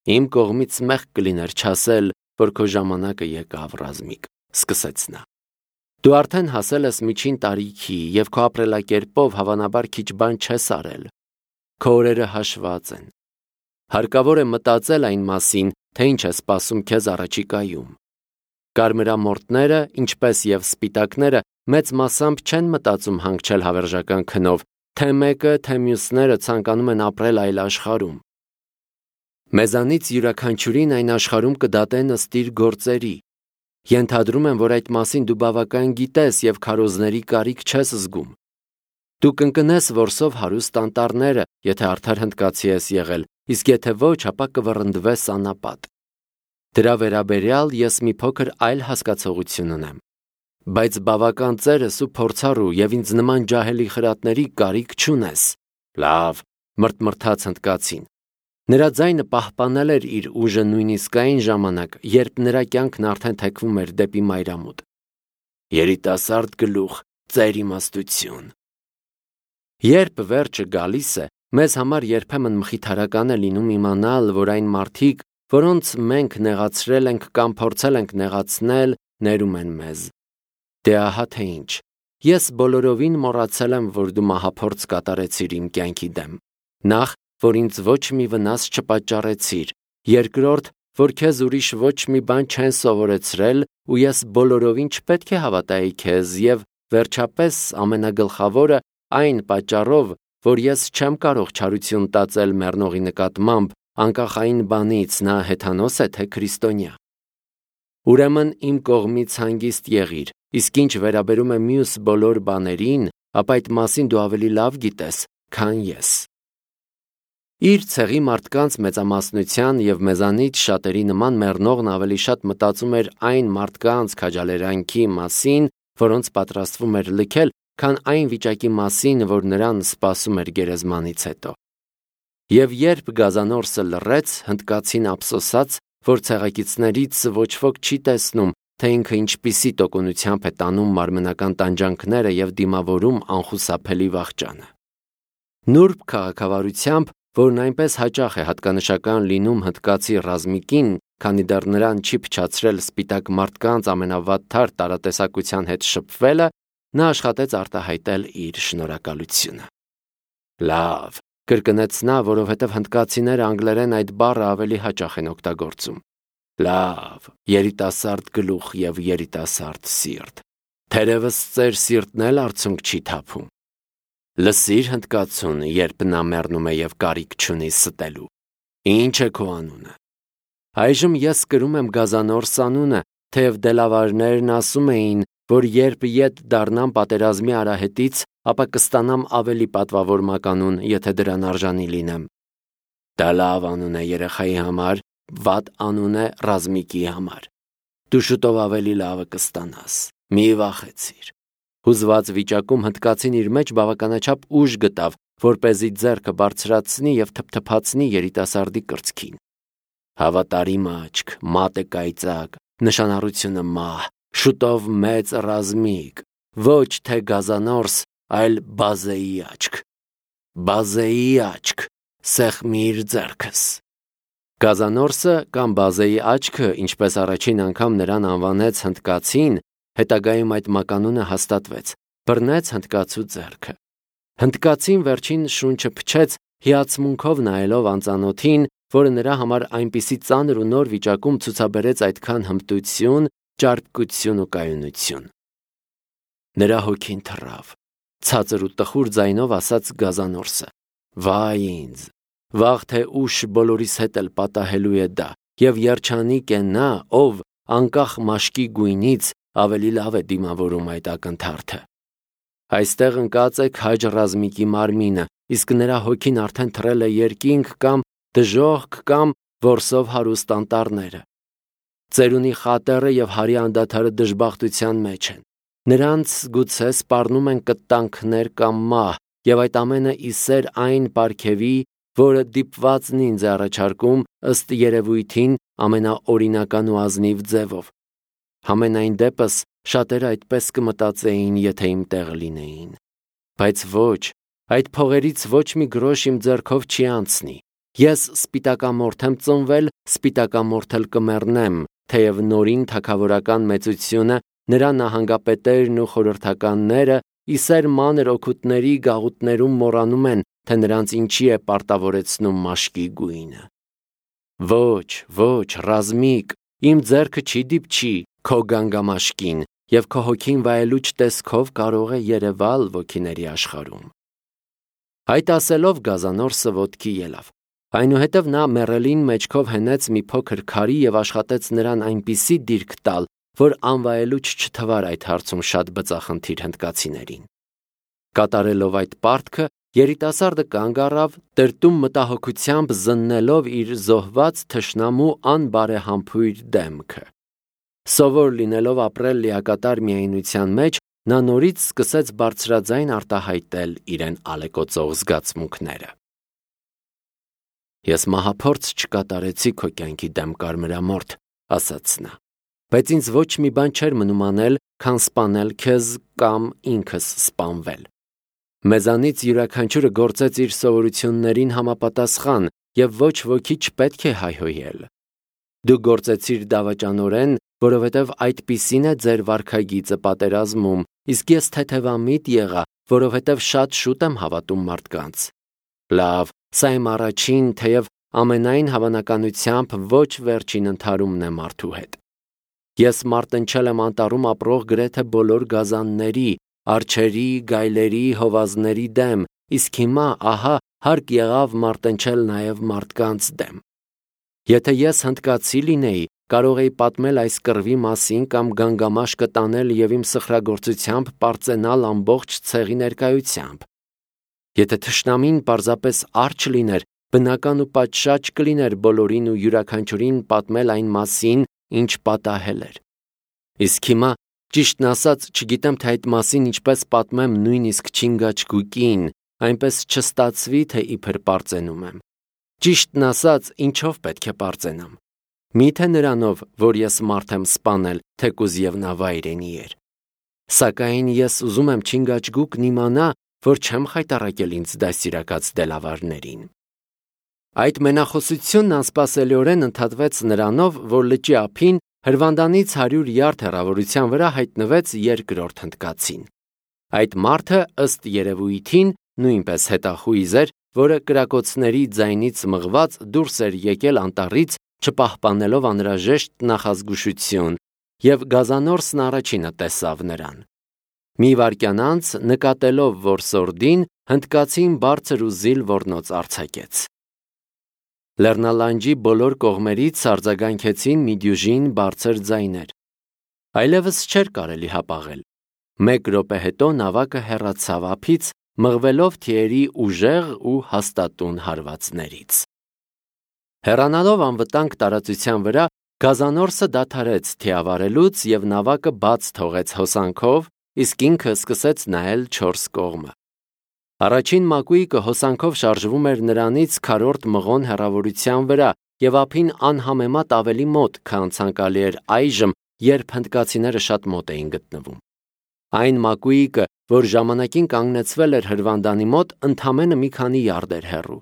Իմ կողմից մեղք կլիներ չասել, որ քո ժամանակը եկավ, Ռազմիկ, սկսեց նա։ Դու արդեն հասել ես միջին տարիքի և քո ապրելակերպով հավանաբար քիչ բան չես արել։ Քո օրերը հաշված են։ Հարկավոր է մտածել այն մասին, թե ինչ է սպասում քեզ առաջիկայում։ Կարմրամորթները, ինչպես և սպիտակները, մեծ մասամբ չեն մտածում հանգչել հավերժական քնով, թե մեկը, թե մյուսները ցանկանում են ապրել այլ աշխարհում։ Մեզանից յուրաքանչյուրին այն աշխարհում կդատեն ըստ իր գործերի։ Ենթադրում եմ, որ այդ մասին դու բավական գիտես և քարոզների կարիք չես զգում։ Դու կընկնես որսով հարուստ անտառները, եթե արդար հնդկացի ես եղել, իսկ եթե ոչ, ապա կվռնդվես անապատ։ Դրա վերաբերյալ ես մի փոքր այլ հասկացողություն ունեմ։ Բայց բավական ծերս ու փորձառու և ինձ նման ջահելի խրատների կարիք չունես։ Լավ, մրթմրթաց հնդկացին։ Նրա ձայնը պահպանել էր իր ուժը նույնիսկ այն ժամանակ, երբ նրա կյանքն արդեն թեքվում էր դեպի մայրամուտ։ Երիտասարդ գլուխ, ծեր իմաստություն։ Երբ վերջը գալիս է, մեզ համար երբեմն մխիթարական է լինում իմանալ, որ այն մարդիկ, որոնց մենք նեղացրել ենք կամ փորձել ենք նեղացնել, ներում են մեզ։ Դե ահա թե ինչ։ Ես բոլորովին մոռացել եմ, որ դու մահափորձ կատարեցիր իմ կյանքի դեմ։ Նախ, որ ինձ ոչ մի վնաս չպատճառեցիր, երկրորդ, որ քեզ ուրիշ ոչ մի բան չեն սովորեցրել ու ես բոլորովին չպետք է հավատայի քեզ և, վերջապես, ամենագլխավորը, այն պատճառով, որ ես չեմ կարող չարություն տածել մեռնողի նկատմամբ, անկախ այն բանից նա հեթանոս է թե քրիստոնյա։ Ուրեմն իմ կողմից հանգիստ եղիր, իսկ ինչ վերաբերում է մյուս բոլոր բաներին, ապա այդ մասին դու ավելի լավ գիտես, քան ես։ Իր ցեղի մարդկանց մեծամասնության և մեզանից շատերի նման մեռնողն ավելի շատ մտածում էր այն մարդկանց քաջալերանքի մասին, որոնց պատրաստվում էր լքել, քան այն վիճակի մասին, որ նրան սպասում էր գերեզմանից հետո։ Եվ երբ գազանորսը լռեց, հնդկացին ափսոսաց, որ ցեղակիցներից ոչ ոք չի տեսնում, թե ինքը ինչպիսի տոկունությամբ է տանում մարմնական տանջանքները և դիմավորում անխուսափելի վախճանը։ Նուրբ քաղաքավարությամբ, որն այնպես հաճախ է հատկանշական լինում հնդկացի Ռազմիկին, քանի դեռ նրան չի փչացրել սպիտակ մարդկանց ամենավատթար տարատեսակության հետ շփվելը, նա աշխատեց արտահայտել իր շնորհակալությունը։ Լավ, կրկնեց նա, որովհետև հնդկացիները անգլերեն այդ բառը ավելի հաճախ են օգտագործում։ Լավ, երիտասարդ գլուխ և երիտասարդ սիրտ։ Թերևս ծեր սիրտն էլ արցունք չի թափում։ Լսիր հնդկացուն, երբ նա մեռնում է և կարիք չունի ստելու։ Ինչ է քո անունը։ Այժմ ես կրում եմ գազանորս անունը, թեև դելավարներն ասում էին, որ երբ ետ դառնամ պատերազմի արահետից, ապա կստանամ ավելի պատվավոր մականուն, եթե դրան արժանի լինեմ։ Դա լավ անուն է երեխայի համար, վատ անուն է Ռազմիկի համար։ Դու շուտով ավելի լավը կստանաս։ Մի վախեցիր։ Հուզված վիճակում հնդկացին իր մեջ բավականաչափ ուժ գտավ, որպեսզի ձեռքը բարձրացնի և թփթփացնի երիտասարդի կրծքին։ Հավատարիմ աչք, մատը կայծակ, նշանառությունը մահ, շուտով մեծ Ռազմիկ, ոչ թե գազանորս, այլ բազեի աչք։ Բազեի աչք, սեղմիր ձեռքս։ Գազանորսը կամ բազեի աչքը, ինչպես առաջին անգամ նրան անվանեց հնդկացին, հետագայում այդ մականունը հաստատվեց, բռնեց հնդկացու ձեռքը։ Հնդկացին վերջին շունչը փչեց, հիացմունքով նայելով անծանոթին, որը նրա համար այնպիսի ծանր ու նոր վիճակում ցուցաբերեց այդքան հմտություն, ճարպկություն ու կայունություն։ Նրա հոգին թռավ, ցածր ու տխուր ձայնով ասաց գազանորսը. Վայ ինձ, վաղ թե ուշ բոլորիս հետ էլ պատահելու է դա, և երջանիկ է նա, ով անկախ մաշկի գույնից ավելի լավ է դիմավորում այդ ակնթարթը։ Այստեղ ընկած է քաջ Ռազմիկի մարմինը, իսկ նրա հոգին արդեն թռել է երկինք կամ դժոխք կամ որսով հարուստ անտառները։ Ծերունի խատերը և հարի անդադարը դժբախտության մեջ են։ Նրանց գուցե սպառնում են կտանքներ կամ մահ, և այդ ամենը ի սեր այն պարգևի, որը դիպվածն ինձ է առաջարկում ըստ երևույթին ամենաօրինական ու ազնիվ ձևով։ Համենայն դեպս շատերը այդպես կմտածեին, եթե իմ տեղը լինեին։ Բայց ոչ, այդ փողերից ոչ մի գրոշ իմ ձեռքով չի անցնի, Ես սպիտակամորթ եմ ծնվել, սպիտակամորթ էլ կմեռնեմ, թեև նորին թագավորական մեծությունը, նրա նահանգապետերն ու խորհրդականները իսեր մանր օգուտների գաղութներում մոռանում են, թե նրանց ինչի է պարտավորեցնում մաշկի գույնը։ Ոչ, ոչ, ռազմիկ, իմ ձեռքը չի դիպչի քո գանգամաշկին, և քո հոգին վայելուչ տեսքով կարող է երևալ ոգիների աշխարհում։ Այդ ասելով գազանորսը ոտքի ելավ։ Այնուհետև նա մեռելին մեջքով հենեց մի փոքր քարի և աշխատեց նրան այնպիսի դիրք տալ, որ անվայելուչ չթվար այդ հարցում շատ բծախնդիր հնդկացիներին։ Կատարելով այդ պարտքը, երիտասարդը կանգ առավ, տրտում մտահոգությամբ զննելով իր զոհված թշնամու անբարեհամբույր դեմքը։ Սովոր լինելով ապրել լիակատար միայնության մեջ, նա նորից սկսեց բարձրաձայն արտահայտել իրեն ալեկոծող զգացմունքները։ Ես մահափորձ չկատարեցի քո կյանքի դեմ կարմրամորթ, ասաց նա, բայց ինձ ոչ մի բան չէր մնում անել, քան սպանել քեզ կամ ինքս սպանվել։ Մեզանից յուրաքանչյուրը գործեց իր սովորություններին համապատասխան, և ոչ ոքի չպետք է հայհոյել։ Դու գործեցիր դավաճանորեն, որովհետև այդպիսին է ձեր վարքագիծը պատերազմում, իսկ ես թեթևամիտ եղա, որովհետև շատ շուտ եմ հավատում մարդկանց։ Լավ, սա իմ առաջին, թեև ամենայն հավանականությամբ ոչ վերջին ընդհարումն է մարդու հետ։ Ես մարտնչել եմ անտառում ապրող գրեթե բոլոր գազանների, արջերի, գայլերի, հովազների դեմ, իսկ հիմա, ահա, հարկ եղավ մարտնչել նաև մարդկանց դեմ։ Եթե ես հնդկացի լինեի, կարող էի պատմել այս կռվի մասին կամ գանգամաշկը տանել և իմ սխրագործությամբ պարծենալ ամբողջ ցեղի ներկայությամբ։ Եթե թշնամին պարզապես արջ լիներ, բնական ու պատշաճ կլիներ բոլորին ու յուրաքանչյուրին պատմել այն մասին, ինչ պատահել էր։ Իսկ հիմա, ճիշտն ասած, չգիտեմ, թե այդ մասին ինչպես պատմեմ նույնիսկ Չինգաչգուկին, այնպես չստացվի, թե իբր պարծենում եմ։ Ճիշտն ասած, ինչով պետք է պարծենամ։ Միթե նրանով, որ ես մարդ եմ սպանել, թեկուզ և նա վայրենի էր։ Սակայն ես ուզում եմ Չինգաչգուկն իմանա, որ չեմ խայտառակել ինձ դաստիարակած դելավարներին։ Այդ մենախոսությունն անսպասելիորեն ընդհատվեց նրանով, որ լճի ափին Հրվանդանից 100 յարդ հեռավորության վրա հայտնվեց երկրորդ հնդկացին։ Այդ մարդը, ըստ երևույթին, նույնպես հետախույզ էր, որը կրակոցների ձայնից մղված դուրս էր եկել անտառից, չպահպանելով անհրաժեշտ նախազգուշություն, և գազանորսն առաջինը տեսավ նրան։ Մի վայրկյան անց, նկատելով, որ սորդին, հնդկացին բարձր ու զիլ ոռնոց արձակեց։ Լեռնալանջի բոլոր կողմերից արձագանքեցին մի դյուժին բարձր ձայներ։ Այլևս չէր կարելի հապաղել։ Մեկ րոպե հետո նավակը հեռացավ ափից, մղվելով թիերի ուժեղ ու հաստատուն հարվածներից։ Հեռանալով անվտանգ տարածության վրա, գազանորսը դադարեց թիավարելուց և նավակը բաց թողեց հոսանքով, իսկ ինքը սկսեց նայել 4 կողմը։ Առաջին մակույկը հոսանքով շարժվում էր նրանից քառորդ մղոն հեռավորության վրա և ափին անհամեմատ ավելի մոտ, քան ցանկալի էր այժմ, երբ հնդկացիները շատ մոտ էին գտնվում։ Այն մակույկը, որ ժամանակին կանգնեցվել էր հրվանդանի մոտ, ընդամենը մի քանի յարդ էր հեռու։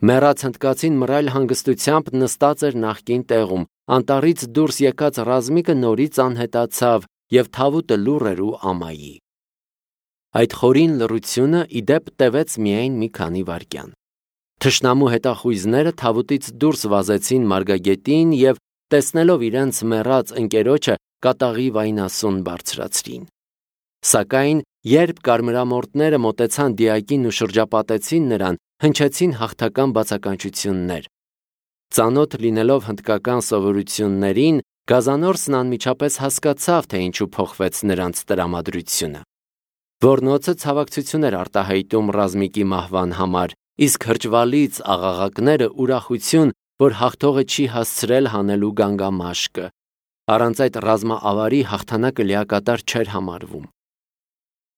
Մեռած հնդկացին մռայլ հանգստությամբ նստած էր նախկին տեղում, անտառից դուրս եկած ռազմիկը նորից անհետացավ և թավուտը լուռ էր ու ամայի։ Այդ խորին լռությունը ի դեպ տևեց միայն մի քանի վայրկյան։ Թշնամու հետախույզները թավուտից դուրս վազեցին մարգագետին և, տեսնելով իրենց մեռած ընկերոջը, կատաղի վայնասուն բարձրացրին։ Սակայն, երբ կարմրամորթները մոտեցան դիակին ու շրջապատեցին նրան, հնչեցին հաղթական բացականչություններ։ Ծանոթ լինելով հնդկական սովորություններին, գազանորսն անմիջապես հասկացավ, թե ինչու փոխվեց նրանց տրամադրությունը։ Ոռնոցը ցավակցություն էր արտահայտում ռազմիկի մահվան համար, իսկ հրճվալից աղաղակները ուրախություն, որ հաղթողը չի հասցրել հանելու գանգամաշկը։ Առանց այդ ռազմաավարի հաղթանակը լիակատար չէր համարվում։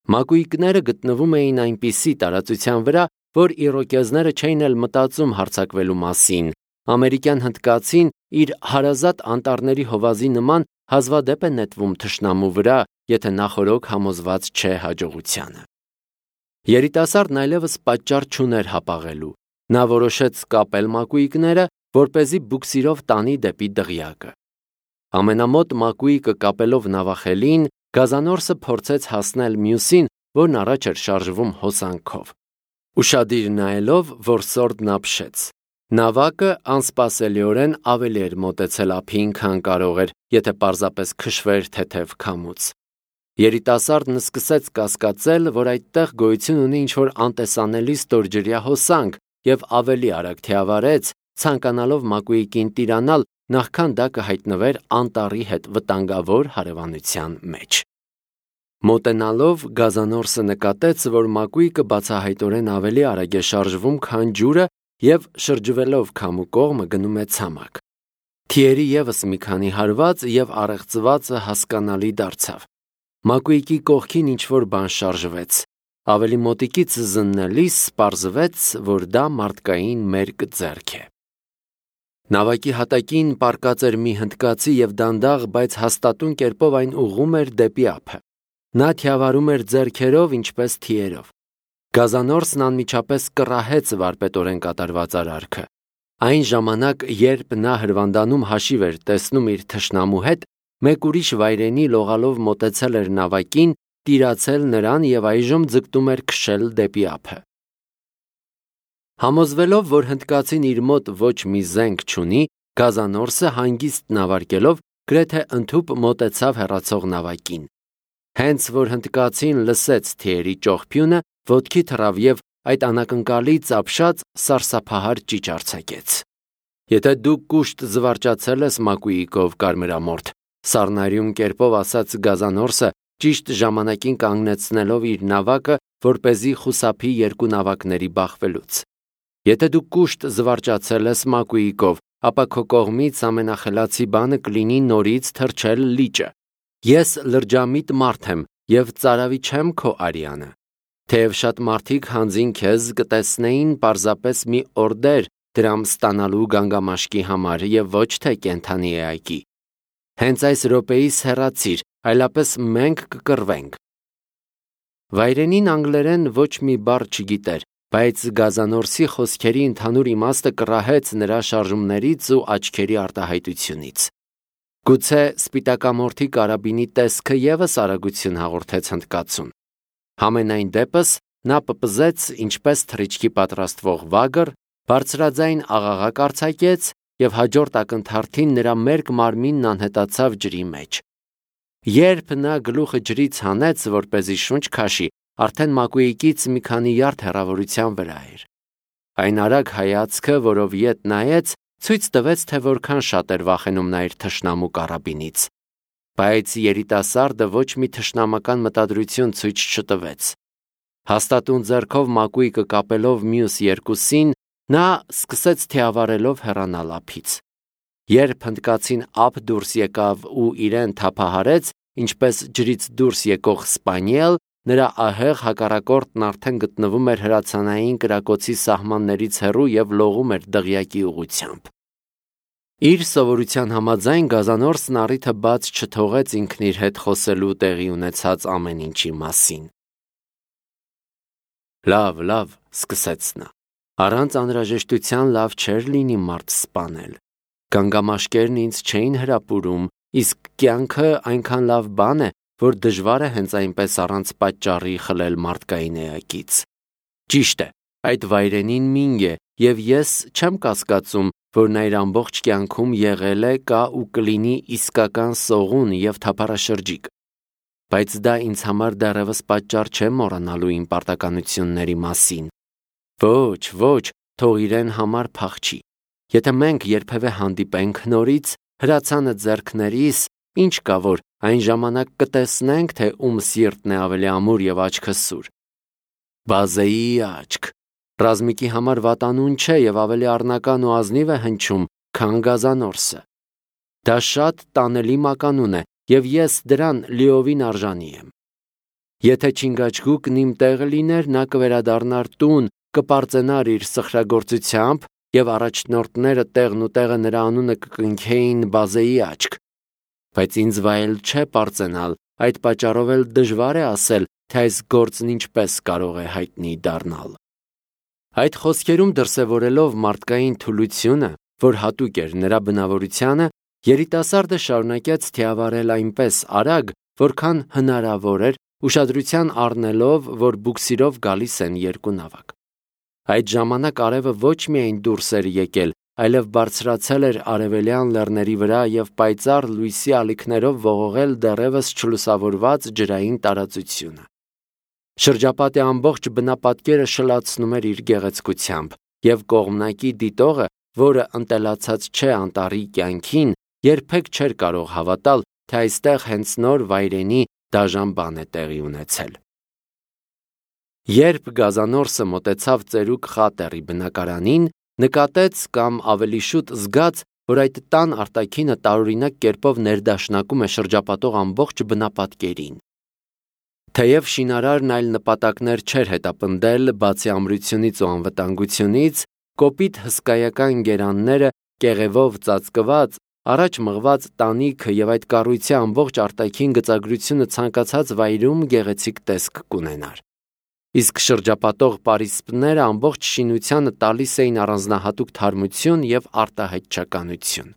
Մակույկները գտնվում էին այնպիսի տարածության վրա, որ իրոկեզները չէին էլ մտածում հարձակվելու մասին։ Ամերիկյան հնդկացին իր հարազատ անտառների հովազի նման հազվադեպ է նետվում թշնամու վրա, եթե նախօրոք համոզված չէ հաջողությանը։ Երիտասարդն այլևս պատճառ չուներ հապաղելու։ Նա որոշեց կապել մակույկները, որպեսզի բուքսիրով տանի դեպի դղյակը։ Ամենամոտ մակույկը կապելով նավախելին, գազանորսը փորձեց հասնել մյուսին, որն առաջ էր շարժվում հոսանքով։ Ուշադիր նայելով, որ սորդն ապշեց։ Նավակը անսպասելիորեն ավելի էր մոտեցել ափին, քան կարող էր, եթե պարզապես քշվեր թեթև քամուց։ Երիտասարդն սկսեց կասկածել, որ այդտեղ գոյություն ունի ինչ-որ անտեսանելի ստորջրյա հոսանք և ավելի արագ թիավարեց, ցանկանալով մակույկին տիրանալ, նախքան դա կհայտնվեր անտառի հետ վտանգավոր հարևանության մեջ։ Մոտենալով, գազանորսը նկատեց, որ մակույկը բացահայտորեն ավելի արագ է շարժվում, քան ջուրը և շրջվելով քամու կողմը գնում է ցամաք։ Թիերի ևս մի քանի հարված և առեղծվածը հասկանալի դարձավ։ Մակույկի կողքին ինչ-որ բան շարժվեց։ Ավելի մոտիկից զննելիս պարզվեց, որ դա մարդկային մերկ ձեռք է։ Նավակի հատակին պառկած էր մի հնդկացի և դանդաղ, բայց հաստատուն կերպով այն ուղղում էր դեպի ափը։ Նա թիավարում էր ձեռքերով, ինչպես թիերով։ Գազանորսն անմիջապես կռահեց վարպետորեն կատարված արարքը։ Այն ժամանակ, երբ նա հրվանդանում հաշիվ էր տեսնում իր թշնամու հետ, մեկ ուրիշ վայրենի լողալով մոտեցել էր նավակին, տիրացել նրան և այժմ ձգտում էր քշել դեպի ափը։ Համոզվելով, որ հնդկացին իր մոտ ոչ մի զենք չունի, գազանորսը հանգիստ նավարկելով գրեթե ընդհուպ մոտեցավ հեռացող նավակին։ Հենց որ հնդկացին լսեց թիերի ճողփյունը, ոտքի թռավ և այդ անակնկալից ապշած սարսափահար ճիչ արձակեց։ Եթե դու կուշտ զվարճացել ես մակույկով, կարմրամորթ, սառնարյուն կերպով ասաց գազանորսը, ճիշտ ժամանակին կանգնեցնելով իր նավակը, որպեսզի խուսափի երկու նավակների բախվելուց։ Եթե դու կուշտ զվարճացել ես մակույկով, ապա քո կողմից ամենախելացի բանը կլինի նորից թռչել լիճը։ Ես լրջամիտ մարդ եմ և ծարավի չեմ քո արյանը։ Թեև շատ մարդիկ հանձին քեզ կտեսնեին պարզապես մի օրդեր դրամ ստանալու գանգամաշկի համար և ոչ թե կենդանի էակի։ Հենց այս րոպեիս հեռացիր, այլապես մենք կկռվենք։ Վայրենին անգլերեն ոչ մի բառ չգիտեր, բայց գազանորսի խոսքերի ընդհանուր իմաստը կռահեց նրա շարժումներից ու աչքերի արտահայտությունից։ Գուցե սպիտակամորթի կարաբինի տեսքը ևս արագություն հաղորդեց հնդկացուն։ Համենայն դեպս նա պպզեց ինչպես թռիչքի պատրաստվող վագր, բարձրաձայն աղաղակ արձակեց և հաջորդ ակնթարթին նրա մերկ մարմինն անհետացավ ջրի մեջ։ Երբ նա գլուխը ջրից հանեց, որպեսզի շունչ քաշի, արդեն մակույկից մի քանի յարդ հեռավորության վրա էր։ Այն արագ հայացքը, որով ետ նայեց, ցույց տվեց, թե որքան շատ էր վախենում նա իր թշնամու կարաբինից։ Բայց երիտասարդը ոչ մի թշնամական մտադրություն ցույց չտվեց։ Հաստատուն ձեռքով մակույկը կապելով մյուս երկուսին, նա սկսեց թիավարելով հեռանալ ափից։ Երբ հնդկացին ափ դուրս եկավ ու իրեն թափահարեց, ինչպես ջրից դուրս եկող սպանիել, նրա ահեղ հակառակորդն արդեն գտնվում էր հրացանային կրակոցի սահմաններից հեռու և լողում էր դղյակի ուղղությամբ։ Իր սովորության համաձայն գազանորսն առիթը բաց չթողեց ինքն իր հետ խոսելու տեղի ունեցած ամեն ինչի մասին։ Լավ, սկսեց նա։ Առանց անհրաժեշտության լավ չէր լինի մարդ սպանել։ Գանգամաշկերն ինձ չէին հրապուրում, իսկ կյանքը այնքան լավ բան է, որ դժվար է հենց այնպես առանց պատճառի խլել մարդկային էակից։ Ճիշտ է, այդ վայրենին մինգ է, և ես չեմ կասկածում, որ նա իր ամբողջ կյանքում եղել է, կա ու կլինի իսկական սողուն և թափառաշրջիկ։ Բայց դա ինձ համար դեռևս պատճառ չէ մոռանալու իմ պարտականությունների մասին։ Ոչ, թող իրեն համար փախչի։ Եթե մենք երբևէ հանդիպենք նորից, հրացանը ձեռքներիս, ինչ կա որ, այն ժամանակ կտեսնենք, թե ում սիրտն է ավելի ամուր և աչքը սուր։ Բազեի աչք։ Ռազմիկի համար վատանուն չէ և ավելի առնական ու ազնիվ է հնչում, քան գազանորսը։ Դա շատ տանելի մականուն է, և ես դրան լիովին արժանի եմ։ Եթե Չինգաչգուկն իմ տեղը լիներ, նա կվերադառնար տուն, կպարծենար իր սխրագործությամբ, և առաջնորդները տեղն ու տեղը նրա անունը կկնքեին Բազեի աչք։ Բայց ինձ վայել չէ պարծենալ, այդ պատճառով էլ դժվար է ասել, թե այս գործն ինչպես կարող է հայտնի դառնալ։ Այդ խոսքերում դրսևորելով մարդկային թուլությունը, որ հատուկ էր նրա բնավորությանը, երիտասարդը շարունակեց թիավարել այնպես արագ, որքան հնարավոր էր, ուշադրության առնելով, որ բուքսիրով գալիս են երկու նավակ։ Այդ ժամանակ արևը ոչ միայն դուրս էր եկել, այլև բարձրացել էր արևելյան լեռների վրա և պայծառ լույսի ալիքներով ողողել դեռևս չլուսավորված ջրային տարածությունը։ Շրջապատի ամբողջ բնապատկերը շլացնում էր իր գեղեցկությամբ, և կողմնակի դիտողը, որը ընտելացած չէ անտառի կյանքին, երբեք չէր կարող հավատալ, թե այստեղ հենց նոր վայրենի դաժան բան է տեղի ունեցել։ Երբ գազանորսը մոտեցավ ծերուկ խատերի բնակարանին, նկատեց կամ ավելի շուտ զգաց, որ այդ տան արտաքինը տարօրինակ կերպով ներդաշնակում է շրջապատող ամբողջ բնապատկերին։ Թեև շինարարն այլ նպատակներ չէր հետապնդել, բացի ամրությունից ու անվտանգությունից, կոպիտ հսկայական գերանները կեղևով ծածկված, առաջ մղված տանիքը և այդ կառույցի ամբողջ արտաքին գծագրությունը ցանկացած վայրում գեղեցիկ տեսք կունենար։ Իսկ շրջապատող պարիսպները ամբողջ շինությանը տալիս էին առանձնահատուկ թարմություն և արտահայտչականություն։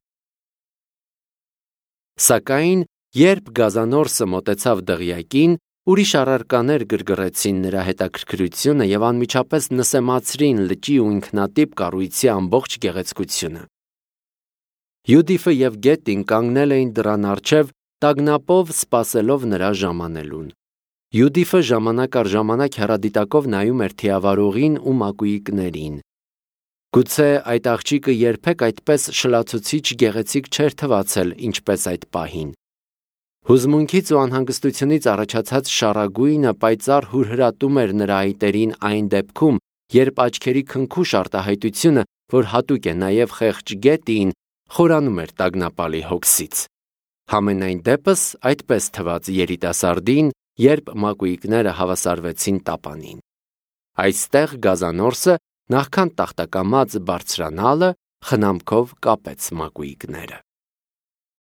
Սակայն, երբ գազանորսը մոտեցավ դղյակին, ուրիշ առարկաներ գրգռեցին նրա հետաքրքրությունը և անմիջապես նսեմացրին լճի ու ինքնատիպ կառույցի ամբողջ գեղեցկությունը։ Յուդիֆը և Գետին կանգնել էին դռան առջև, տագնապով սպասելով նրա ժամանելուն։ Յուդիֆը ժամանակ առ ժամանակ հեռադիտակով նայում էր թիավարողին ու մակույիկներին։ Գուցե այդ աղջիկը երբեք այդպես շլացուցիչ գեղեցիկ չէր թվացել, ինչպես այդ պահին։ Հուզմունքից ու անհանգստությունից առաջացած շառագույնը պայծառ հուրհրատում էր նրա այտերին այն դեպքում, երբ աչքերի քնքուշ արտահայտությունը, որ հատուկ է նաև խեղճ Գետիին, խորանում էր տագնապալի հոգսից։ Համենայն դեպս այդպես թվաց երիտասարդին, երբ մակույիկները հավասարվեցին տապանին։ Այստեղ գազանորսը, նախքան տախտակամած բարձրանալը, խնամքով կապեց մակույիկները։